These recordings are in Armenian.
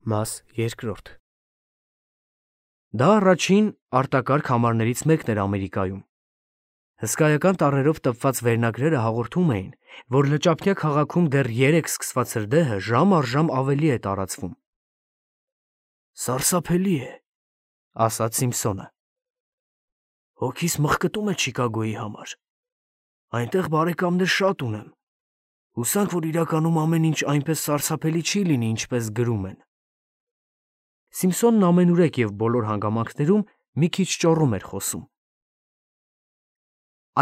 Մաս երկրորդ Դա առաջին արտակարգ համարներից մեկն էր Ամերիկայում։ Հսկայական տառերով տպված վերնագրերը հաղորդում էին, որ Լճափնյա քաղաքում դեռ երեկ սկսված հրդեհը ժամ առ ժամ ավելի է տարածվում։ «Սարսափելի է», ասաց Սիմփսոնը։ «Հոգիս մղկտում է Չիկագոյի համար։ Այնտեղ բարեկամներ շատ ունեմ։ Հուսանք, որ իրականում ամեն ինչ այնպես սարսափելի չի լինի, ինչպես գրում են»։ Սիմփսոնն ամենուրեք և բոլոր հանգամանքներում մի քիչ ճոռում էր խոսում։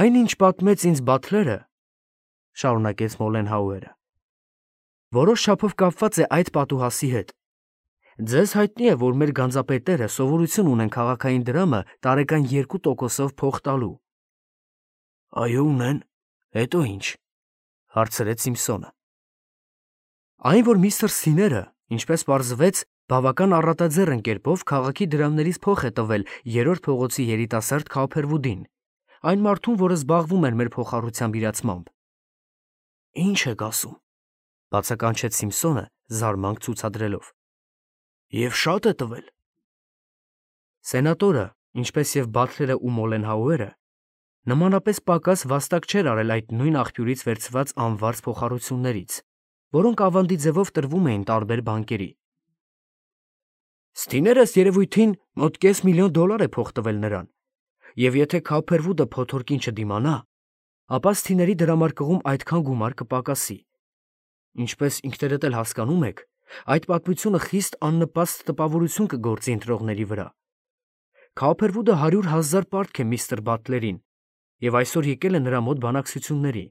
«Այն, ինչ պատմեց ինձ Բաթլերը, ֊ շարունակեց Մոլենհաուերը, ֊ որոշ չափով կապված է այդ պատուհասի հետ։ Ձեզ հայտնի է, որ մեր գանձապետերը սովորություն ունեն քաղաքային դրամը տարեկան 2%-ով փող տալու։ ֊ Այո, ունեն, հետո ի՞նչ, ֊ հարցրեց Սիմփսոնը։ Այն, որ միստր Սիները, ինչպես պարզվեց, բավական առատաձեռն կերպով քաղաքի դրամներից փող է տվել 3-րդ փողոցի երիտասարդ Քափերվուդին, այն մարդուն, որը զբաղվում էր մեր փոխառությամբ իրացմամբ։ ֊ Ի՞նչ եք ասում, ֊ բացականչեց Սիմփսոնը, զարմանք ցուցադրելով։ Եվ շա՞տ է տվել։ Սենատորը, ինչպես և Բաթլերը ու Մոլենհաուերը, նմանապես պակաս վաստակ չէր արել այդ նույն աղբյուրից վերցված անվարձ փոխառություններից, որոնք ավանդի ձևով տրվում էին տարբեր բանկերի։ Սթիներն ըստ երևույթին մոտ $500,000 է փող տվել նրան, և եթե Քափերվուդը փոթորկին չդիմանա, ապա Սթիների դրամարկղում այդքան գումար կպակասի։ Ինչպես ինքներդ էլ հասկանում եք, այդ պատմությունը խիստ աննպաստ տպավորություն կգործի ընտրողների վրա։ Քափերվուդը 100,000 պարտք է միստր Բաթլերին և այսօր եկել է նրա մոտ բանակցությունների։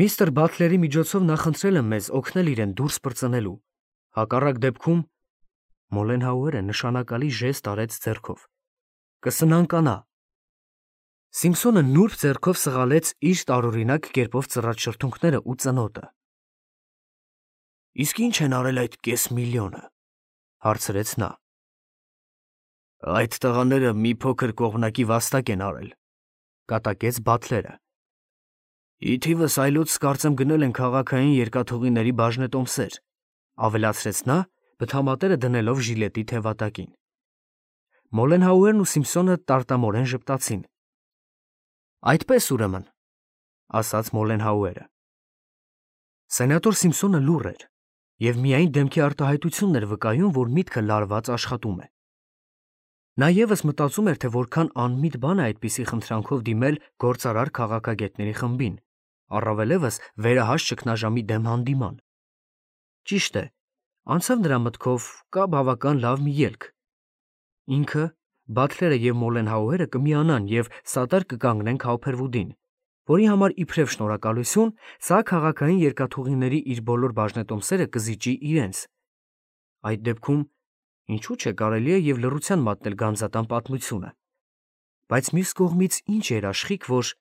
Միստր Բաթլերի միջոցով նա խնդրել է մեզ օգնել իրեն դուրս պրծնելու։ Հակառակ դեպքում Մոլենհաուերը նշանակալի ժեստ արեց ձեռքով։ Կսնանկանա։ Սիմփսոնը նուրբ ձեռքով սղալեց իր տարօրինակ կերպով ծռած շրթունքները ու ծնոտը։ Իսկ ի՞նչ են արել այդ $500,000, ֊ հարցրեց նա։ Այդ տղաները մի փոքր կողմնակի վաստակ են արել, ֊ կատակեց Բաթլերը։ Ի թիվս այլոց կարծեմ գնել են քաղաքային երկաթուղիների բաժնետոմսեր, ֊ ավելացրեց նա, բթամատերը դնելով ժիլետի թևատակին։ Մոլենհաուերն ու Սիմփսոնը տարտամորեն ժպտացին։ Այդպես ուրեմն, ֊ ասաց Մոլենհաուերը։ Սենատոր Սիմփսոնը լուռ էր և միայն դեմքի արտահայտությունն էր վկայում, որ միտքը լարված աշխատում է։ Նա ևս մտածում էր, թե որքան անմիտ բան է այդպիսի խնդրանքով դիմել գործարար քաղաքագետների խմբին, առավելևս վերահաշ ճգնաժամի դեմ հանդիման։ Ճիշտ է, անցավ նրա մտքով կա բավական լավ մի ելք։ Ինքը, Բաթլերը և Մոլենհաուերը կմիանան և սատար կկանգնեն Քափերվուդին, որի համար իբրև շնորհակալություն սա քաղաքային երկաթուղիների իր բոլոր բաժնետոմսերը կզիջի իրենց։ Այդ դեպքում ինչու՞ չէ կարելի է և լռության մատնել գանձատան պատմությունը։ Բայց մյուս կողմից ինչ երաշխիք, որ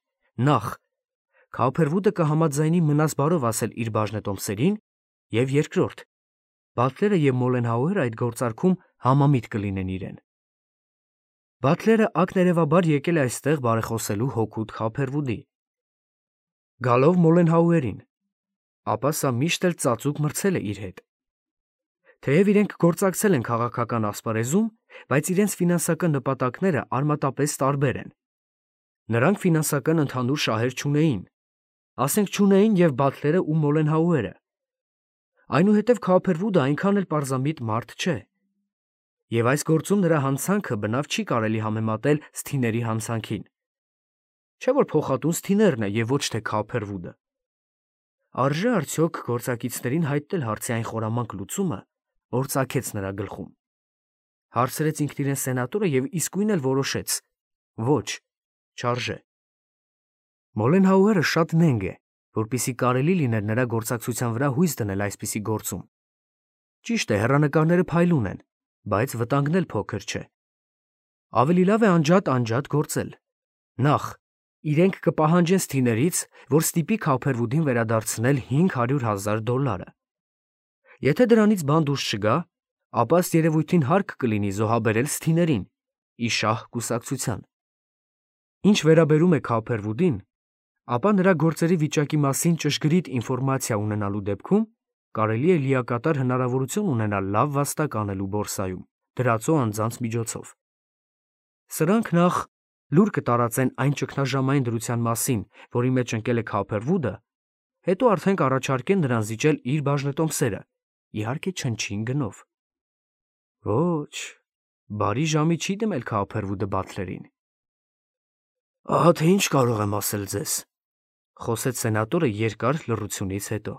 նախ Քափերվուդը կհամաձայնի մնաս բարով ասել իր բաժնետոմսերին, և երկրորդ, Բաթլերը և Մոլենհաուերը այդ գործարքում համամիտ կլինեն իրեն։ Բաթլերը ակներևաբար եկել է այստեղ բարեխոսելու հօգուտ Քափերվուդի։ Գալով Մոլենհաուերին, ապա սա միշտ էլ ծածուկ մրցել է իր հետ։ Թեև իրենք գործակցել են քաղաքական ասպարեզում, բայց իրենց ֆինանսական նպատակները արմատապես տարբեր են։ Նրանք ֆինանսական ընդհանուր շահեր չունեին, ասենք չունեին և Բաթլերը ու Մոլենհաուերը։ Այնուհետև Քափերվուդը այնքան էլ պարզամիտ մարդ չէ։ Եվ այս գործում նրա հանցանքը բնավ չի կարելի համեմատել Սթիների հանցանքին։ Չէ՞ որ փոխատուն Սթիներն է և ոչ թե Քափերվուդը։ Արժե՞ արդյոք գործակիցներին հայտնել հարցի այն խորամանկ լուծումը, որ ծագեց նրա գլխում։ Հարցրեց ինքն իրեն սենատորը և իսկույն էլ որոշեց. ոչ, չարժե։ Մոլենհաուերը շատ նենգ է, որպեսզի կարելի լիներ նրա գործակցության վրա հույս դնել այսպիսի գործում։ Ճիշտ է, հեռանկարները փայլուն են, բայց վտանգն էլ փոքր չէ։ Ավելի լավ է անջատ գործել։ Նախ, իրենք կպահանջեն Սթիներից, որ ստիպի Քափերվուդին վերադարձնել $500,000։ Եթե դրանից բան դուրս չգա, ապա ըստ երևույթին հարկ կլինի զոհաբերել Սթիներին՝ ի շահ կուսակցության։ Ինչ վերաբերում է Քափերվուդին, ապա նրա գործերի վիճակի մասին ճշգրիտ ինֆորմացիա ունենալու դեպքում կարելի է լիակատար հնարավորություն ունենալ լավ վաստակ անելու բորսայում, դրածո անձանց միջոցով։ Սրանք նախ լուր կտարածեն այն ճգնաժամային դրության մասին, որի մեջ ընկել է Քոփերվուդը, հետո արդեն կառաջարկեն նրան զիջել իր բաժնետոմսերը, իհարկե չնչին գնով։ Ոչ, բարի ժամի չի դիմել Քոփերվուդը Բաթլերին։ Ահա թե ինչ կարող եմ ասել ձեզ, խոսեց սենատորը երկար լռությունից հետո։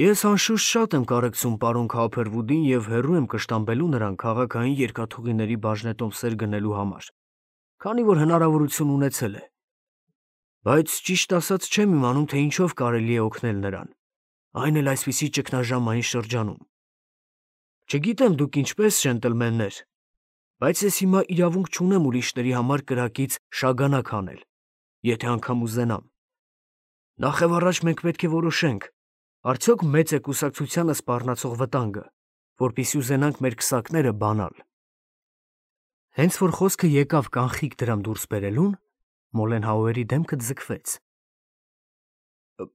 Ես անշուշտ շատ եմ կարեկցում պարոն Քոփերվուդին եւ հեռու եմ կշտամբելու նրան քաղաքային երկաթուղիների բաժնետոմսեր գնելու համար, քանի որ հնարավորություն ունեցել է։ Բայց ճիշտ ասած չեմ իմանում, թե ինչով կարելի է օգնել նրան, այն էլ այսպիսի ճգնաժամային շրջանում։ Չգիտեմ դուք ինչպես, ջենտլմեններ, բայց ես հիմա իրավունք չունեմ ուրիշների համար կրակից շագանակ անել, եթե անգամ ուզենամ։ Նախևառաջ մենք պետք է որոշենք, արդյոք մեծ է կուսակցությանը սպառնացող վտանգը, որպեսզի ուզենանք մեր քսակները բանալ։ Հենց որ խոսքը եկավ կանխիկ դրամ դուրս բերելուն, Մոլենհաուերի դեմքը ձգվեց։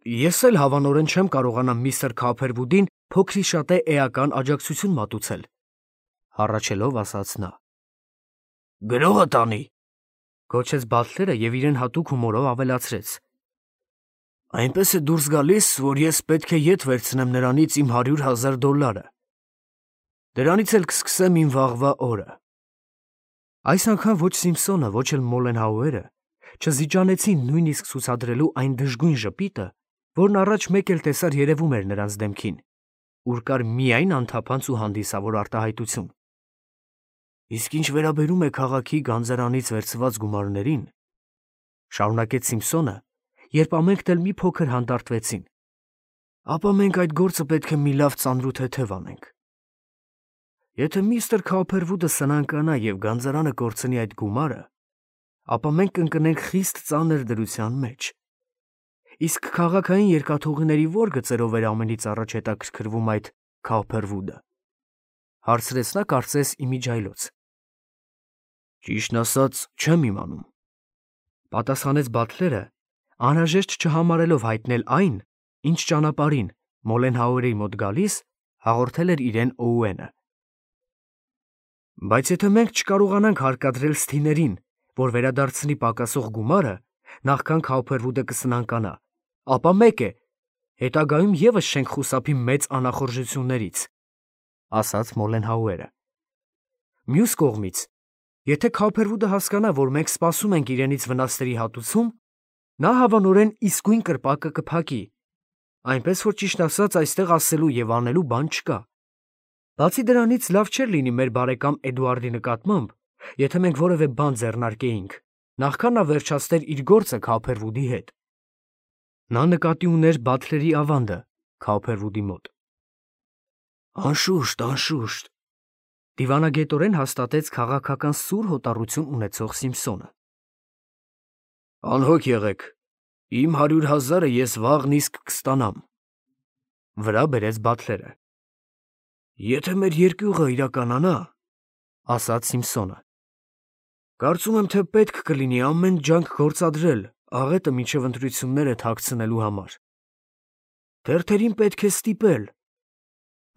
Ես էլ հավանորեն չեմ կարողանա միստր Քոփերվուդին փոքրիշատե էական աջակցություն մատուցել, հառաչելով ասաց նա։ Գրողը տանի, գոչեց Բաթլերը եւ իրեն հատուկ հումորով ավելացրեց. Այնպես է դուրս գալիս, որ ես պետք է ետ վերցնեմ նրանից իմ $100,000։ Դրանից էլ կսկսեմ իմ վաղվա օրը։ Այս անգամ ոչ Սիմփսոնը, ոչ էլ Մոլենհաուերը չզիջանեցին նույնիսկ ցուցադրելու այն դժգույն ժպիտը, որն առաջ մեկ էլ տեսար երևում էր նրանց դեմքին, ուր կար միայն անթափանց ու հանդիսավոր արտահայտություն։ Իսկ ինչ վերաբերում է քաղաքի գանձարանից վերցված գումարներին, շարունակեց Սիմփսոնը, երբ ամենքն էլ մի փոքր հանդարտվեցին, ապա մենք այդ գործը պետք է մի լավ ծանրութեթև անենք։ Եթե միստր Քոփերվուդը սնանկանա եւ գանձարանը կորցնի այդ գումարը, ապա մենք կընկնենք խիստ ծանր դրության մեջ։ Իսկ քաղաքային երկաթուղիների ո՞ր գծերով էր ամենից առաջ հետաքրքրվում այդ Քոփերվուդը, հարցրեց նա կարծես իմիջայլոց։ Ճիշտն ասած, չեմ իմանում, պատասխանեց Բաթլերը, անհրաժեշտ չհամարելով հայտնել այն, ինչ ճանապարհին Մոլենհաուերի մոտ գալիս հաղորդել էր իրեն Օուենը։ Բայց եթե մենք չկարողանանք հարկադրել Սթիներին, որ վերադարձնի պակասող գումարը, նախքան Քոփերվուդը կսնանկանա, ապա մեկ է, հետագայում եւս չենք խուսափի մեծ անախորժություններից, ասաց Մոլենհաուերը։ Մյուս կողմից, եթե Քոփերվուդը հասկանա, որ մենք սպասում ենք իրենից վնասների հատուցում, նա հավանորեն իսկույն կրպակը կփակի, այնպես որ ճիշտ ասած այստեղ ասելու եւ անելու բան չկա։ Բացի դրանից լավ չէր լինի մեր բարեկամ Էդուարդի նկատմամբ, եթե մենք որևէ բան ձեռնարկեինք, նախքան նա վերջացներ իր գործը Քոփերվուդի հետ։ Նա նկատի ուներ Բաթլերի ավանդը Քոփերվուդի մոտ։ Անշուշտ, անշուշտ, դիվանագետորեն հաստատեց քաղաքական սուր հոտառություն ունեցող Սիմփսոնը։ Անհոգ եղեք, իմ $100,000-ը ես վաղն իսկ կստանամ, վրա բերեց Բաթլերը։ Եթե մեր երկյուղը իրականանա, ասաց Սիմփսոնը, կարծում եմ, թե պետք կլինի ամեն ջանք գործադրել աղետը մինչև ընտրությունները թաքցնելու համար։ Թերթերին պետք է ստիպել,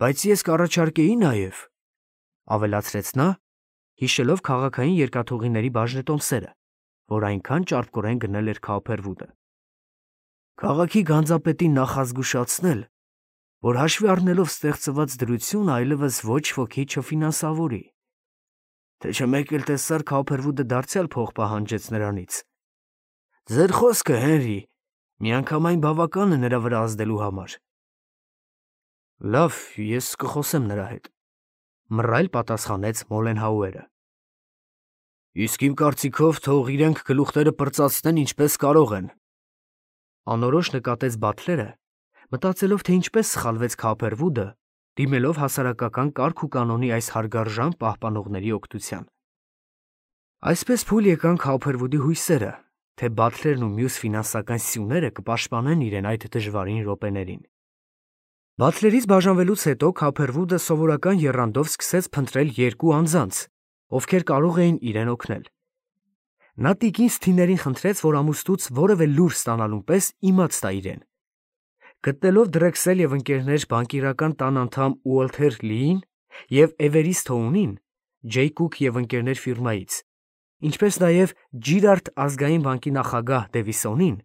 բայց ես կառաջարկեի նաև, ավելացրեց նա, հիշելով քաղաքային երկաթուղիների բաժնետոմսերը, որ այնքան ճարպկորեն գնել էր Քոփերվուդը։ Քաղաքի գանձապետին նախազգուշացնել, որ հաշվի առնելով ստեղծված դրությունը այլևս ոչ ոքի չֆինանսավորի, թե չէ մեկ էլ տեսար Քոփերվուդը դարձյալ փող պահանջեց նրանից։ Ձեր խոսքը, Հենրի, միանգամայն բավական է նրա վրա ազդելու համար։ Լավ, ես կխոսեմ նրա հետ, մռայլ պատասխանեց Մոլենհաուերը։ Իսկ իմ կարծիքով թող իրենք գլուխները պրծացնեն ինչպես կարող են, անորոշ նկատեց Բաթլերը, մտածելով, թե ինչպես սխալվեց Քոփերվուդը, դիմելով հասարակական կարգ ու կանոնի այս հարգարժան պահպանողների օգնության։ Այսպես փուլ եկան Քոփերվուդի հույսերը, թե Բաթլերն ու մյուս ֆինանսական սյուները կպաշտպանեն իրեն այդ դժվարին րոպեներին։ Բաթլերից բաժանվելուց հետո Քոփերվուդը սովորական եռանդով սկսեց փնտրել երկու անձանց, ովքեր կարող էին իրեն օգնել։ Նա տիկին Սթիներին խնդրեց, որ ամուսնուց որևէ լուր ստանալուն պես իմաց տա իրեն։ Գտնելով Դրեքսել և ընկերներ բանկիրական տան անդամ Ուոլթեր Լիին և Էվերիսթոունին, Ջեյ Կուք և ընկերներ ֆիրմայից, ինչպես նաև Ջիրարդ ազգային բանկի նախագահ Դևիսոնին,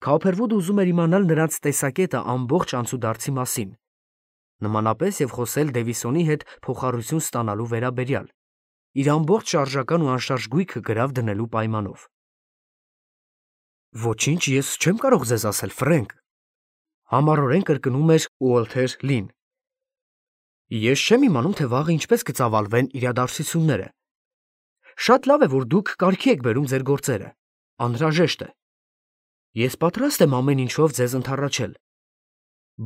Քոփերվուդը ուզում էր իմանալ նրանց տեսակետը ամբողջ անցուդարձի մասին, նմանապես և խոսել Դևիսոնի հետ փոխառություն ստանալու վերաբերյալ, իր ամբողջ շարժական ու անշարժ գույքը գրավ դնելու պայմանով։ Ոչինչ ես չեմ կարող ձեզ ասել, Ֆրենկ, համառորեն կրկնում էր Ուոլթեր Լին։ Ես չեմ իմանում, թե վաղը ինչպես կծավալվեն իրադարձությունները։ Շատ լավ է, որ դուք կարգի եք բերում ձեր գործերը, անհրաժեշտ է։ Ես պատրաստ եմ ամեն ինչով ձեզ ընդառաջել։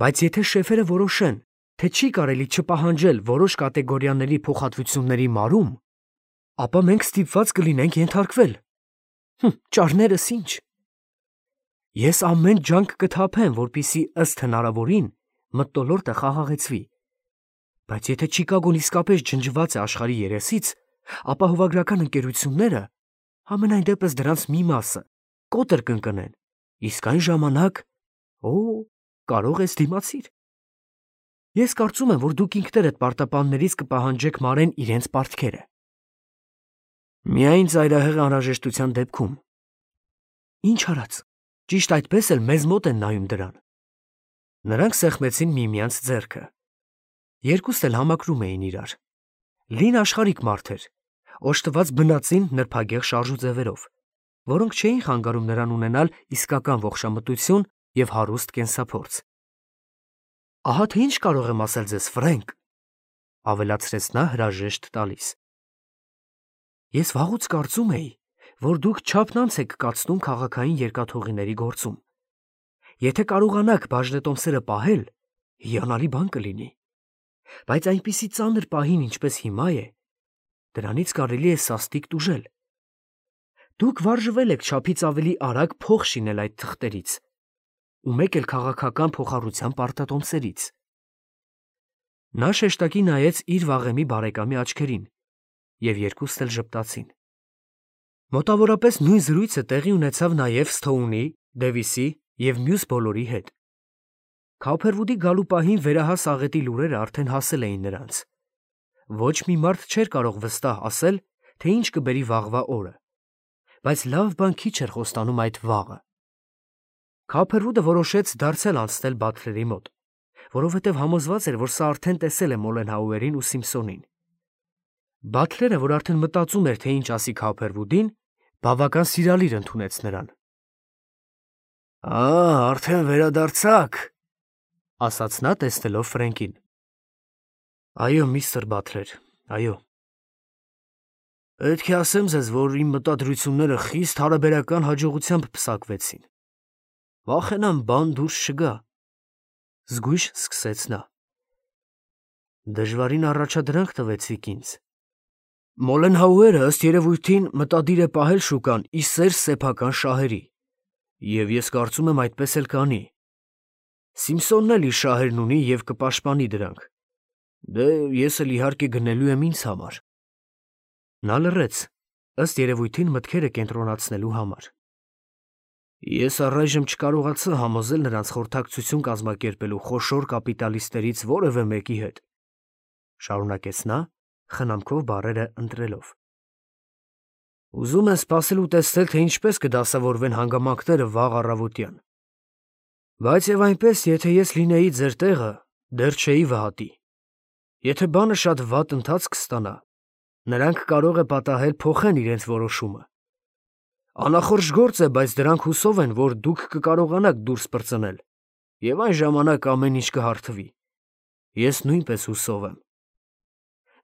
Բայց եթե շեֆերը որոշեն, թե չի կարելի չպահանջել որոշ կատեգորիաների փոխհատվությունների մարում, ապա մենք ստիպված կլինենք ենթարկվել։ Ճարներս ինչ։ Ես ամեն ջանք կթափեմ, որպեսզի ըստ հնարավորին մթնոլորտը խաղաղեցվի։ Բայց եթե Չիկագոն իսկապես ջնջված է աշխարհի երեսից, ապա հովագրական ընկերությունները, համենայն դեպս դրանց մի մասը, կոտր կընկնեն, իսկ այն ժամանակ, կարող ես դիմացիր։ Ես կարծում եմ, որ դուք ինքներդ պարտապաններից կպահանջեք մարեն իրենց պարտքերը։ Միայն ծայրահեղ անհրաժեշտության դեպքում։ Ինչ արած, ճիշտ այդպես էլ մեզ մոտ են նայում դրան։ Նրանք սեղմեցին միմյանց ձեռքը։ Երկուստ էլ համակրում էին իրար։ Լին աշխարհիկ մարդ էր, օժտված բնածին նրբագեղ շարժուձևերով, որոնք չէին խանգարում նրան ունենալ իսկական ողջամտություն և հարուստ կենսափորձ։ Ահա թե ինչ կարող եմ ասել ձեզ, Ֆրենկ, ավելացրեց նա հրաժեշտ տալիս։ Ես վաղուց կարծում էի, որ դուք չափնանց եք կացնում քաղաքային երկաթուղիների գործում։ Եթե կարողանաք բաժնետոմսերը պահել, հիանալի բան կլինի։ Բայց այնպիսի ծանր պահին, ինչպես հիմա է, դրանից կարելի է սաստիկ տուժել։ Դուք վարժվել եք չափից ավելի արագ փող շինել այդ թղթերից, ու մեկ էլ քաղաքական փոխառության պարտատոմսերից։ Նա շեշտակի նայեց իր վաղեմի բարեկամի աչքերին, և երկուստ էլ ժպտացին։ Մոտավորապես նույն զրույցը տեղի ունեցավ նաև Սթոունի, Դևիսի և մյուս բոլորի հետ։ Քոփերվուդի գալու պահին վերահաս աղետի լուրերը արդեն հասել էին նրանց։ Ոչ մի մարդ չէր կարող վստահ ասել, թե ինչ կբերի վաղվա օրը, բայց լավ բան քիչ էր խոստանում այդ վաղը։ Քոփերվուդը որոշեց դարձյալ անցնել Բաթլերի մոտ, որովհետև համոզված էր, որ սա արդեն տեսել է Մոլենհաուերին ու Սիմփսոնին։ Բաթլերը, որ արդեն մտածում էր, թե ինչ ասի Քոփերվուդին, բավական սիրալիր ընդունեց նրան։ Արդեն վերադարձաք, ասաց նա, տեսնելով Ֆրենկին։ Այո, միստր Բաթլեր, այո։ Պետք է ասեմ ձեզ, որ իմ մտադրությունները խիստ հարաբերական հաջողությամբ պսակվեցին։ Վախենամ բան դուրս չգա, զգույշ սկսեց նա։ Դժվարին առաջադրանք տվեցիք ինձ։ Մոլենհաուերը ըստ երևույթին մտադիր է պահել շուկան ի սեր սեփական շահերի, և ես կարծում եմ այդպես էլ կանի։ Սիմփսոնն էլ իր շահերն ունի և կպաշտպանի դրանք։ Դե ես էլ իհարկե գնելու եմ ինձ համար։ Նա լռեց, ըստ երևույթին մտքերը կենտրոնացնելու համար։ Ես առայժմ չկարողացա համոզել նրանց խորհրդակցություն կազմակերպելու խոշոր կապիտալիստներից որևէ մեկի հետ, շարունակեց նա, խնամքով բառերը ընտրելով։ Ուզում եմ սպասել ու տեսնել, թե ինչպես կդասավորվեն հանգամանքները վաղ առավոտյան։ Բայց եւ այնպես, եթե ես լինեի ձեր տեղը, դեռ չէի վհատի։ Եթե բանը շատ վատ ընթացք ստանա, նրանք կարող է պատահել փոխեն իրենց որոշումը։ Անախորժ գործ է, բայց դրանք հուսով են, որ դուք կկարողանաք դուրս պրծնել, եւ այն ժամանակ ամեն ինչ կհարթվի։ Ես նույնպես հուսով եմ։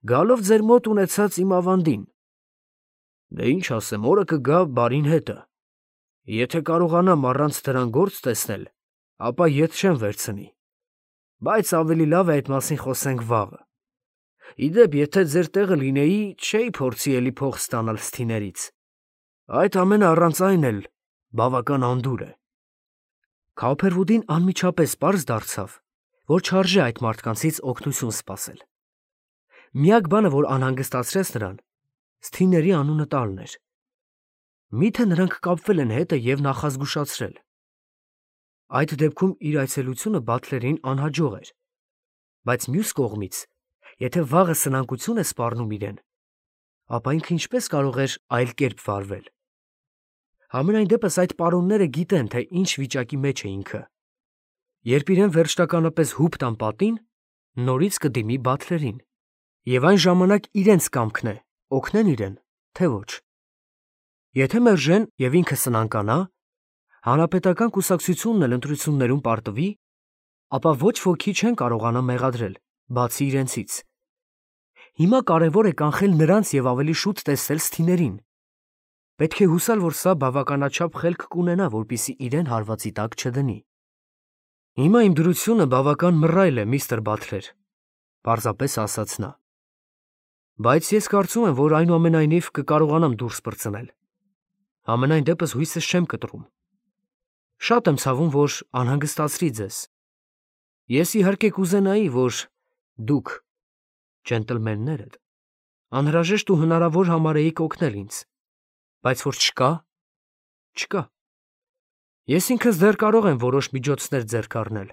Գալով ձեր մոտ ունեցած իմ ավանդին։ Դե ինչ ասեմ, օրը կգա բարին հետը։ Եթե կարողանամ առանց դրան գործ տեսնել, ապա ետ չեմ վերցնի։ Բայց ավելի լավ է այդ մասին խոսենք վաղը։ Իդեպ, եթե ձեր տեղը լինեի, չէի փորձի էլի փող ստանալ սթիներից։ Այդ ամենը առանց այն էլ բավական անդուր է։ Քոփերվուդին անմիջապես պարզ դարձավ, որ չարժե այդ մարդկանցից օգնություն սպասել։ Միակ բանը, որ անհանգստացրեց նրան, սթիների անունը տալն էր։ Միթե նրանք կապվել են հետը և նախազգուշացրել։ Այդ դեպքում իր այցելությունը Բաթլերին անհաջող էր, բայց մյուս կողմից, եթե վաղը սնանկություն է սպառնում իրեն, ապա ինքը ինչպես կարող էր այլ կերպ վարվել։ Համենայն դեպս այդ պարոնները գիտեն, թե ինչ վիճակի մեջ է ինքը։ Երբ իրեն վերջնականապես հուպ տան պատին, նորից կդիմի Բաթլերին, եւ այն ժամանակ իրենց կամքն է օգնեն իրեն, թե ոչ։ Եթե մերժեն եւ ինքը սնանկանա, հանրապետական կուսակցությունն էլ ընտրություններում պարտվի, ապա ոչ ոքի չեն կարողանա մեղադրել, բացի իրենցից։ Հիմա կարևոր է կանխել նրանց եւ ավելի շուտ տեսնել սթիներին։ Պետք է հուսալ, որ սա բավականաչափ խելք կունենա, որպեսզի իրեն հարվածի տակ չդնի։ Հիմա իմ դրությունը բավական մռայլ է, միստր Բաթլեր, պարզապես ասաց նա։ Բայց ես կարծում եմ, որ այնուամենայնիվ կկարողանամ դուրս պրծնել։ Համենայն դեպս հույսս չեմ կտրում։ Շատ եմ ցավում, որ անհանգստացրի ձեզ։ Ես իհարկե կուզենայի, որ դուք, ջենտլմեններդ, անհրաժեշտ ու հնարավոր համարեիք օգնել ինձ, բայց որ չկա։ Ես ինքս դեռ կարող եմ որոշ միջոցներ ձեռք առնել։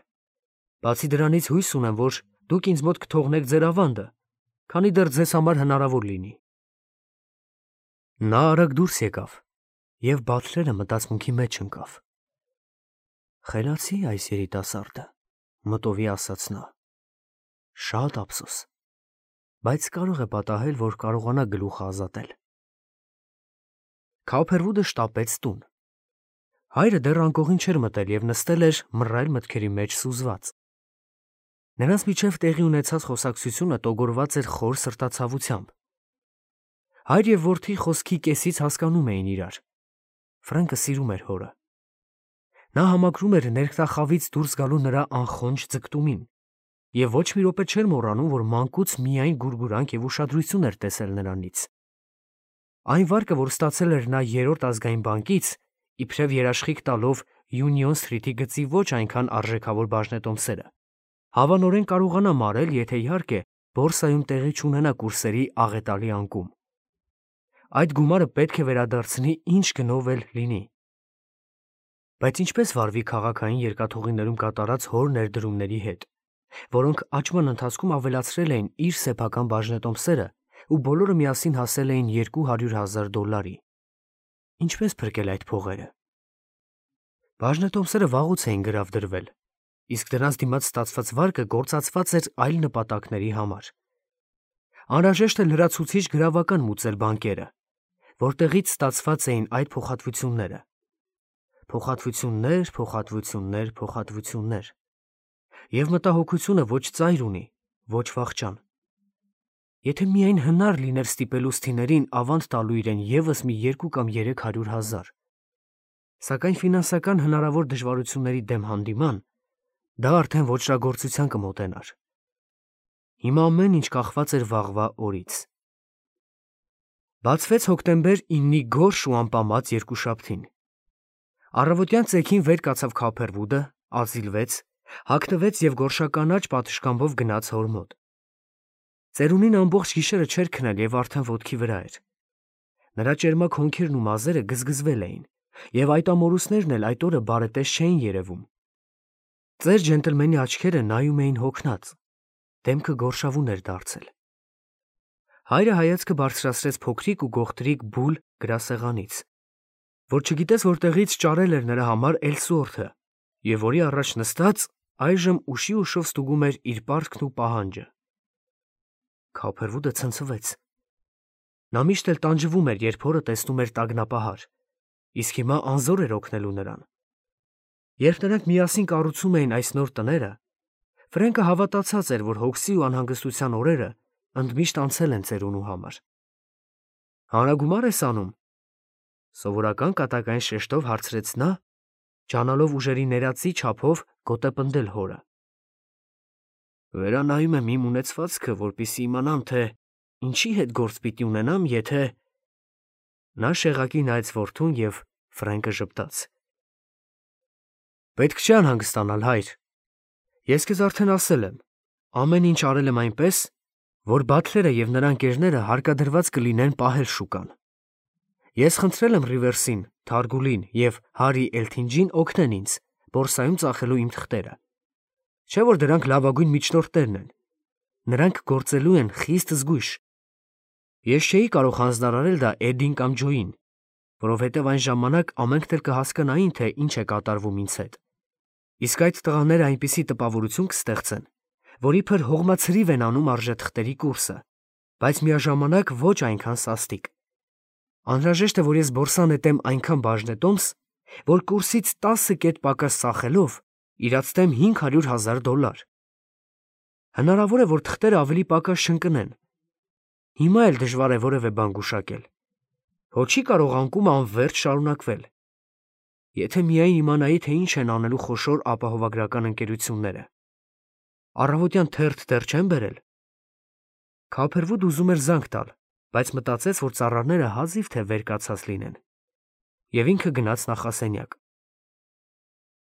Բացի դրանից հույս ունեմ, որ դուք ինձ մոտ կթողնեք ձեր ավանդը, քանի դեռ ձեզ համար հնարավոր լինի։ Նա արագ դուրս եկավ, եւ Բաթլերը մտածմունքի մեջ ընկավ։ Խելացի այս երիտասարդը, մտովի ասաց նա։ Շատ ափսոս, բայց կարող է պատահել, որ կարողանա գլուխը ազատել։ Քոփերվուդը շտապեց տուն։ Հայրը դեռ անկողին չէր մտել եւ նստել էր մռայլ մտքերի մեջ սուզված։ Նրանց միջև տեղի ունեցած խոսակցությունը տոգորված էր խոր սրտացավությամբ։ Հայր եւ որդի խոսքի կեսից հասկանում էին իրար։ Ֆրանկը սիրում էր հորը։ Նա համակրում էր ներքնախավից դուրս գալու նրա անխոնջ ձգտումին եւ ոչ մի րոպե չէր մոռանում, որ մանկուց միայն գուրգուրանք եւ ուշադրություն էր տեսել նրանից։ Այն վարկը, որ ստացել էր նա երրորդ ազգային բանկից, իբրև երաշխիք տալով Յունիոն Սթրիթի գծի ոչ այնքան արժեքավոր բաժնետոմսերը, հավանորեն կարողանա մարել, եթե իհարկե բորսայում տեղի չունենա կուրսերի աղետալի անկում։ Այդ գումարը պետք է վերադարձնի ինչ գնով էլ լինի։ Բայց ինչպես վարվի քաղաքային երկաթուղիներում կատարած հոր ներդրումների հետ, որոնք աճման ընթացքում ավելացրել էին իր սեփական բաժնետոմսերը ու բոլորը միասին հասել էին $200,000։ Ինչպես փրկել այդ փողերը։ Բաժնետոմսերը վաղուց էին գրավդրվել, իսկ դրանց դիմաց ստացված վարկը գործածված էր այլ նպատակների համար։ Անհրաժեշտ է լրացուցիչ գրավական մուծել բանկերը, որտեղից ստացված էին այդ փոխհատվությունները։ Փոխհատվություններ։ Եվ մտահոգությունը ոչ ծայր ունի, ոչ վախճան։ Եթե միայն հնար լիներ ստիպելու սթիներին ավանդ տալու իրեն եւս մի 2 կամ 300,000, սակայն ֆինանսական հնարավոր դժվարությունների դեմ հանդիման դա արդեն ոճրագործության կմոտենար։ Հիմա ամեն ինչ կախված էր վաղվա օրից։ Բացվեց հոկտեմբեր 9-ի գորշ ու անպամած երկուշաբթին։ Առավոտյան ծեքին վեր կացավ Քոփերվուդը, ազիլվեց, հագնվեց եւ գորշականաչ պատշգամբով գնաց հոր մոտ։ Ծերունին ամբողջ գիշերը չէր քնել եւ արդեն ոտքի վրա էր։ Նրա ճերմակ հոնքերն ու մազերը գզգզվել էին, եւ այդ ամորուսներն էլ այդ օրը բարետես չէին երևում։ Ծեր ջենտլմենի աչքերը նայում էին հոգնած, դեմքը գորշավուն էր դարձել։ Հայրը հայացքը բարձրացրեց փոքրիկ ու գողտրիկ բուլ գրասեղանից, որ չգիտես որտեղից ճարել էր նրա համար Էլսուորթը, եւ որի առաջ նստած այժմ ուշի ուշով ստուգում էր իր պարտքն ու պահանջը։ Քոփերվուդը ցնցվեց։ Նա միշտ էլ տանջվում էր, երբ հորը տեսնում էր տագնապահար, իսկ հիմա անզոր էր օգնելու նրան։ Երբ նրանք միասին կառուցում էին այս նոր տները, Ֆրենկը հավատացած էր, որ հոգսի ու անհանգստության օրերը ընդմիշտ անցել են ծերունու համար։ Հանրագումար ես անում։ Սովորական կատակային շեշտով հարցրեց նա, ջանալով ուժերի ներածի չափով գոտեպնդել հորը։ Վերանայում եմ իմ ունեցվածքը, որպեսզի իմանամ, թե ինչի հետ գործ պիտի ունենամ, եթե… Նա շեղակի նայեց որդուն եւ Ֆրենկը ժպտաց։ Պետք չէ անհանգստանալ, հայր։ Ես քեզ արդեն ասել եմ, ամեն ինչ արել եմ այնպես, որ Բաթլերը եւ նրա ընկերները հարկադրված կլինեն պահել շուկան։ Ես խնդրել եմ Ռիվերսին, Թարգուլին եւ Հարի Էլթինջին օգնեն ինձ, բորսայում ծախելու իմ թղթերը։ Չէ՞ որ դրանք լավագույն միջնորդներն են։ Նրանք գործելու են խիստ զգույշ։ Ես չէի կարող հանձնարարել դա Էդին կամ Ջոյին, որովհետև այն ժամանակ ամենքն էլ կհասկանային, թե ինչ է կատարվում ինձ հետ։ Իսկ այդ տղաները այնպիսի տպավորություն կստեղծեն, որ իբր հողմացրիվ են անում արժեթղթերի կուրսը, բայց միաժամանակ ոչ այնքան սաստիկ։ Անհրաժեշտ է, որ ես բորսա նետեմ այնքան բաժնետոմս, որ կուրսից 10 կետ պակաս ծախելով իրացնեմ $500,000։ Հնարավոր է, որ թղթերը ավելի պակաս չընկնեն։ Հիմա էլ դժվար է որևէ բան գուշակել։ Հո չի կարող անկումը անվերջ շարունակվել։ Եթե միայն իմանայի, թե ինչ են անելու խոշոր ապահովագրական ընկերությունները։ Առավոտյան թերթ դեռ չեն բերել։ Քափերվուդ ուզում էր զանգ տալ, բայց մտածեց, որ ծառաները հազիվ թե վեր կացած լինեն։ Եվ ինքը գնաց նախասենյակ։